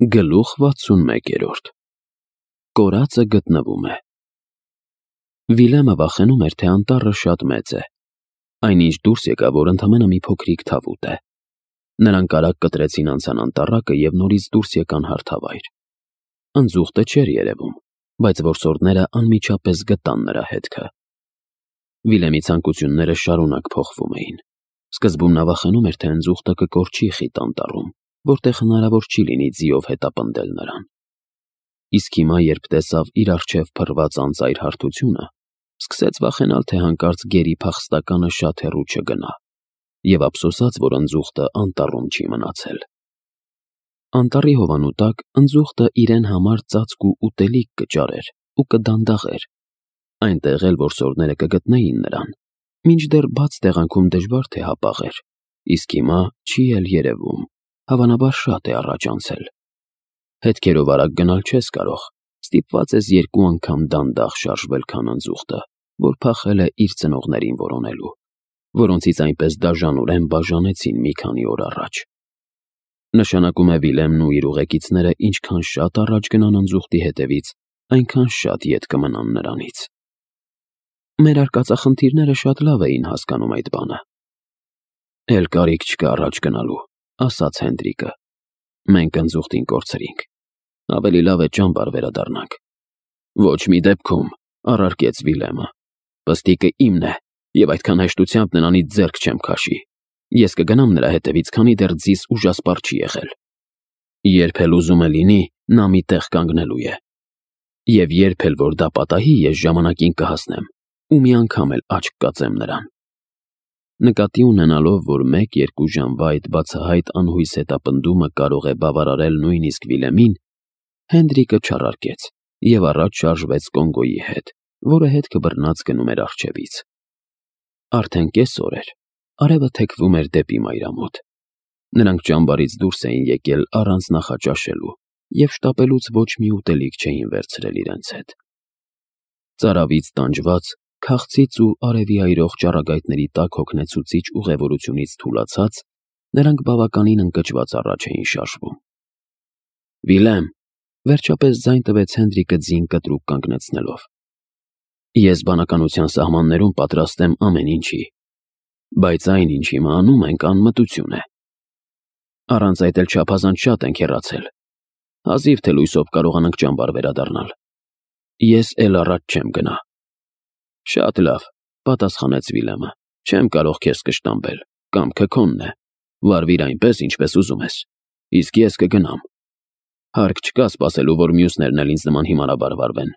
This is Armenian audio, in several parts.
Գլուխ 61 Կորածը գտնվում է։ Վիլյամը վախենում էր, թե անտառը շատ մեծ է։ Այնինչ դուրս եկավ, որ ընդամենը մի փոքրիկ թավուտ է։ Նրանք արագ կտրեցին անցան անտառակը և նորից դուրս եկան հարթավայր։ Ընձուղտը չէր երևում, բայց որսորդները անմիջապես գտան նրա հետքը։ Վիլյամի ցանկությունները շարունակ փոխվում էին։ Սկզբում նա վախենում էր, թե ընձուղտը կկորչի խիտ անտառում, որտեղ հնարավոր չի լինի ձիով հետապնդել նրան։ Իսկ հիմա, երբ տեսավ իր առջև փռված անծայր հարթությունը, սկսեց վախենալ, թե հանկարծ գերի փախստականը շատ հեռու չգնա, և ափսոսաց, որ ընձուղտը անտառում չի մնացել։ Անտառի հովանու տակ ընձուղտը իրեն համար ծածկ ու ուտելիք կճարեր ու կդանդաղեր։ Այնտեղ էլ որսորդները կգտնեին նրան, մինչդեռ բաց տեղանքում դժվար թե հապաղեր, իսկ հիմա չի էլ երևում, հավանաբար շատ է առաջ անցել։ Հետքերով արագ գնալ չես կարող, ստիպված ես 2 անգամ դանդաղ շարժվել, քան ընձուղտը, որ փախել է իր ծնողներին որոնելու, որոնցից այնպես դաժանորեն բաժանեցին մի քանի օր առաջ։ Նշանակում է Վիլյամն ու իր ուղեկիցները ինչքան շատ առաջ գնան ընձուղտի հետևից, այնքան շատ ետ կմնան նրանից։ Մեր արկածախնդիրները շատ լավ էին հասկանում այդ բանը։ Էլ կարիք չկա առաջ գնալու, ասաց Հենդրիկը։ Մենք ընձուղտին կորցրինք։ Ավելի լավ է ճամբար վերադառնանք։ Ոչ մի դեպքում, առարկեց Վիլյամը։ Պստիկը իմն է, և այդքան հեշտությամբ նրանից ձեռք չեմ քաշի։ Ես կգնամ նրա հետևից, քանի դեռ ձիս ուժասպառ չի եղել։ Երբ էլ ուզում է լինի, նա մի տեղ կանգնելու է։ Եվ երբ էլ որ դա պատահի, ես ժամանակին կհասնեմ ու մի անգամ էլ աչք կածեմ նրան։ Նկատի ունենալով, որ 1-2 ժամվա այդ բացահայտ անհույս հետապնդումը կարող է բավարարել նույնիսկ Վիլյամին, Հենդրիկը չառարկեց և առաջ շարժվեց Կոնգոյի հետ, որը հետքը բռնած գնում էր առջևից։ Արդեն կեսօր էր, արևը թեքվում էր դեպի մայրամոտ։ Նրանք ճամբարից դուրս էին եկել առանց նախաճաշելու և շտապելուց ոչ մի ուտելիք չէին վերցրել իրենց հետ։ Ծարավից տանջված, քաղցից ու արևի այրող ճառագայթների տակ հոգնեցուցիչ ուղևորությունից թուլացած, նրանք բավականին ընկճված առաջ էին շարժվում։ Վիլյամ, վերջապես ձայն տվեց Հենդրիկը ձին կտրուկ կանգնեցնելով։ Ես բանականության սահմաններում պատրաստ եմ ամեն ինչի, բայց այն, ինչ հիմա անում ենք, անմտություն է։ Առանց այդ էլ չափազանց շատ ենք հեռացել։ Հազիվ թե լույսով կարողանանք ճամբար վերադառնալ։ Ես էլ առաջ չեմ գնա։ Շատ լավ, պատասխանեց Վիլյամը, չեմ կարող քեզ կշտամբել, կամքը քոնն է, վարվիր այնպես, ինչպես ուզում ես, իսկ ես կգնամ։ Հարկ չկա սպասելու, որ մյուսներն էլ ինձ նման հիմարաբար վարվեն։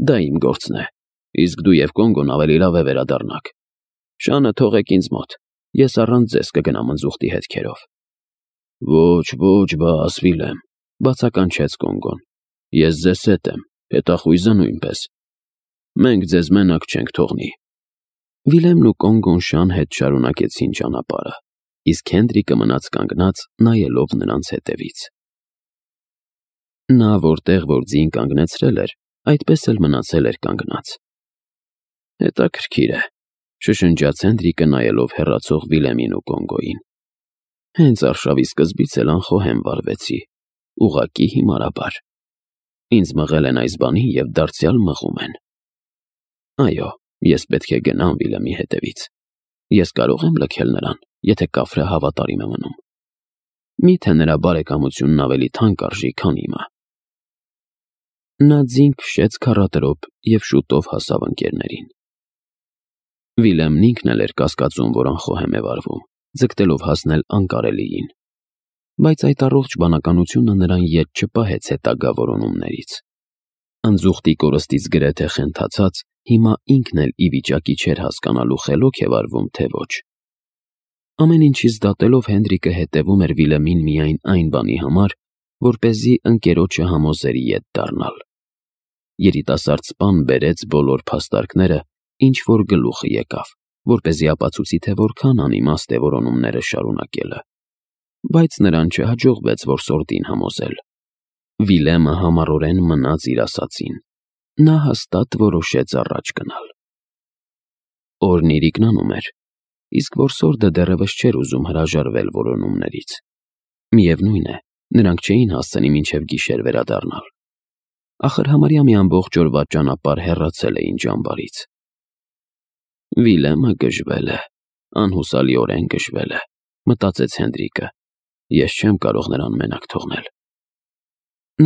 Դա իմ գործն է, իսկ դու և Կոնգոն ավելի լավ է վերադառնաք։ Շանը թողեք ինձ մոտ, ես առանց ձեզ կգնամ ընձուղտի հետքերով։ Ոչ, բաս Վիլյամ, բացականչեց Կոնգոն, ես ձեզ հետ եմ, հետախույզը նույնպես։ Մենք ձեզ մենակ չենք թողնի։ Վիլյամն ու Կոնգոն շան հետ շարունակեցին ճանապարհը, իսկ Հենդրիկը մնաց կանգնած, նայելով նրանց հետևից։ Նա, որտեղ որ ձին կանգնեցրել էր, այդպես էլ մնացել էր կանգնած։ Հետաքրքիր է, շշնջաց Հենդրիկը, նայելով հեռացող Վիլյամին ու Կոնգոյին։ Հենց արշավի սկզբից էլ անխոհեմ վարվեցի, ուղղակի հիմարաբար։ Ինձ մղել են այս բանին և դարձյալ մղում են։ Այո, ես պետք է գնամ Վիլյամի հետևից։ Ես կարող եմ լքել նրան, եթե կաֆրը հավատարիմ է մնում։ Միթե նրա բարեկամությունն ավելի թանկ արժի, քան իմը։ Նա ձին քշեց քառատրոփ և շուտով հասավ ընկերներին։ Վիլյամն ինքն էլ էր կասկածում, որ անխոհեմ է վարվում, ձգտելով հասնել անկարելիին։ Բայց այդ առողջ բանականությունը նրան ետ չպահեց հետագա որոնումներից։ Ընձուղտի կորստից գրեթե խենթացած, հիմա ինքն էլ ի վիճակի չէր հասկանալու խելոք է վարվում, թե ոչ։ Ամեն ինչից դատելով Հենդրիկը հետևում էր Վիլյամին միայն այն բանի համար, որպեսզի ընկերոջը համոզեր ետ դառնալ։ Երիտասարդ սպան բերեց բոլոր փաստարկները, ինչ որ գլուխը եկավ, որպեսզի ապացուցի, թե որքան անիմաստ է որոնումները շարունակելը։ Բայց նրան չհաջողվեց որսորդին համոզել։ Վիլյամը համառորեն մնաց իր ասածին։ Նա հաստատ որոշեց առաջ գնալ։ Օրն իրիկնանում էր, իսկ որսորդը դեռևս չէր ուզում հրաժարվել որոնումներից։ Միևնույն է, Նրանք չէին հասցնի մինչև գիշեր վերադառնալ։ Ախր համարյա մի ամբողջ օրվա ճանապարհ հեռացել էին ճամբարից։ Վիլեմը գժվել է, անհուսալիորեն գժվել է, մտածեց Հենրիկը։ Ես չեմ կարող նրան մենակ թողնել։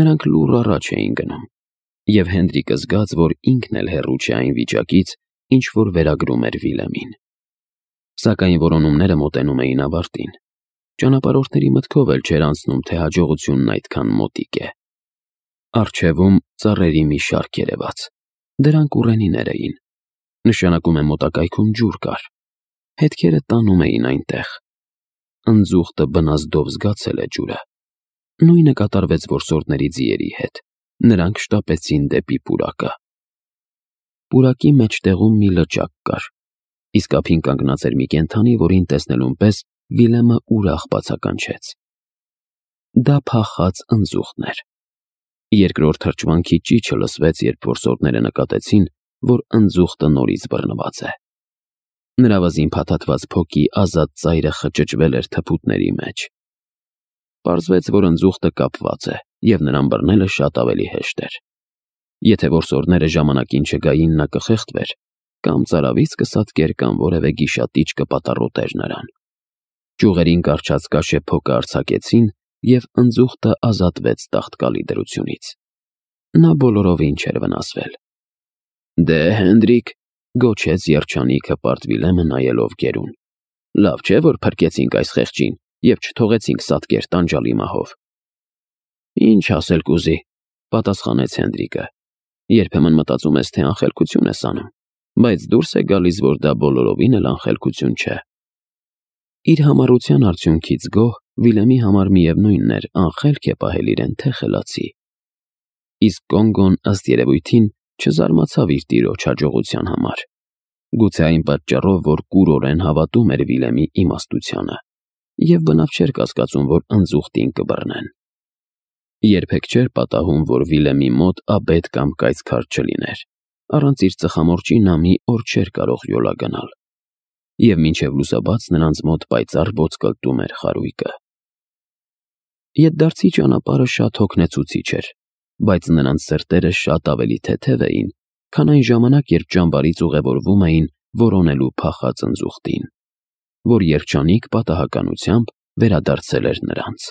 Նրանք լուռ առաջ էին գնում, և Հենրիկը զգաց, որ ինքն էլ հեռու չէ այն վիճակից, ինչ որ վերագրում էր Վիլեմին։ Սակայն որոնումները մոտենում էին ավարտին։ Ճանապարհորդների մտքով էլ չէր անցնում, թե հաջողությունն այդքան մոտիկ է։ Առջևում ծառերի մի շարք երևաց։ Դրանք ուռենիներ էին։ Նշանակում է մոտակայքում ջուր կար։ Հետքերը տանում էին այնտեղ։ Ընձուղտը բնազդով զգացել է ջուրը։ Նույնը կատարվեց որսորդների ձիերի հետ։ Նրանք շտապեցին դեպի պուրակը։ Պուրակի մեջտեղում մի լճակ կար։ Իսկ ափին կանգնած էր մի կենդանի, որին տեսնելուն պես Վիլեմը ուրախ բացականչեց։ Դա փախած ընձուղտն էր։ Երկրորդ թրջվանքի ճիչը լսվեց, երբ որսորդները նկատեցին, որ ընձուղտը նորից բռնված է։ Նրա վզին փաթաթված փոքի ազատ ծայրը խճճվել էր թփուտների մեջ։ Պարզվեց, որ ընձուղտը կապված է, և նրան բռնելը շատ ավելի հեշտ էր։ Եթե որսորդները ժամանակին չգային, նա կխեղդվեր, կամ ծարավից կսատկեր, կամ որևէ գիշատիչ կպատառոտեր նրան։ Ճյուղերին կառչած կաշե փոկը արձակեցին, և ընձուղտը ազատվեց տաղտկալի դրությունից։ Նա բոլորովին չէր վնասվել։ «Դե, Հենրիկ», գոչեց երջանիկ հպարտ Վիլեմը նայելով գերուն, «լավ չէ, որ փրկեցինք այս խեղճին և չթողեցինք սատկեր տանջալի մահով»։ «Ինչ ասել կուզի», պատասխանեց Հենրիկը։ «Երբեմն մտածում ես, թե անխելքություն ես անում, բայց դուրս է գալիս, որ դա բոլորովին էլ անխելքություն չէ»։ Իր համառության արդյունքից գոհ Վիլեմի համար միևնույնն էր, անխելք է պահել իրեն, թե խելացի։ Իսկ Կոնգոն, ըստ երևույթին, չզարմացավ իր տիրոջ հաջողության համար։ Գուցե այն պատճառով, որ կուրորեն հավատում էր Վիլեմի իմաստությանը, և բնավ չէր կասկածում, որ ընձուղտին կբռնեն։ Երբեք չէր պատահում, որ Վիլեմի մոտ աբետ կամ կայծքար չլիներ։ Առանց իր ծխամորճի նա մի օր չէր կարող յոլա գնալ։ Եվ մինչև լուսաբաց նրանց մոտ պայծառ ոսկլտում էր խարույկը։ Ետդարձի ճանապարհը շատ հոգնեցուցիչ էր, բայց նրանց սրտերը շատ ավելի թեթև էին, քան այն ժամանակ, երբ ճամբարից ուղևորվում էին որոնելու փախած ընձուղտին, որ երջանիկ պատահականությամբ վերադարձել էր նրանց։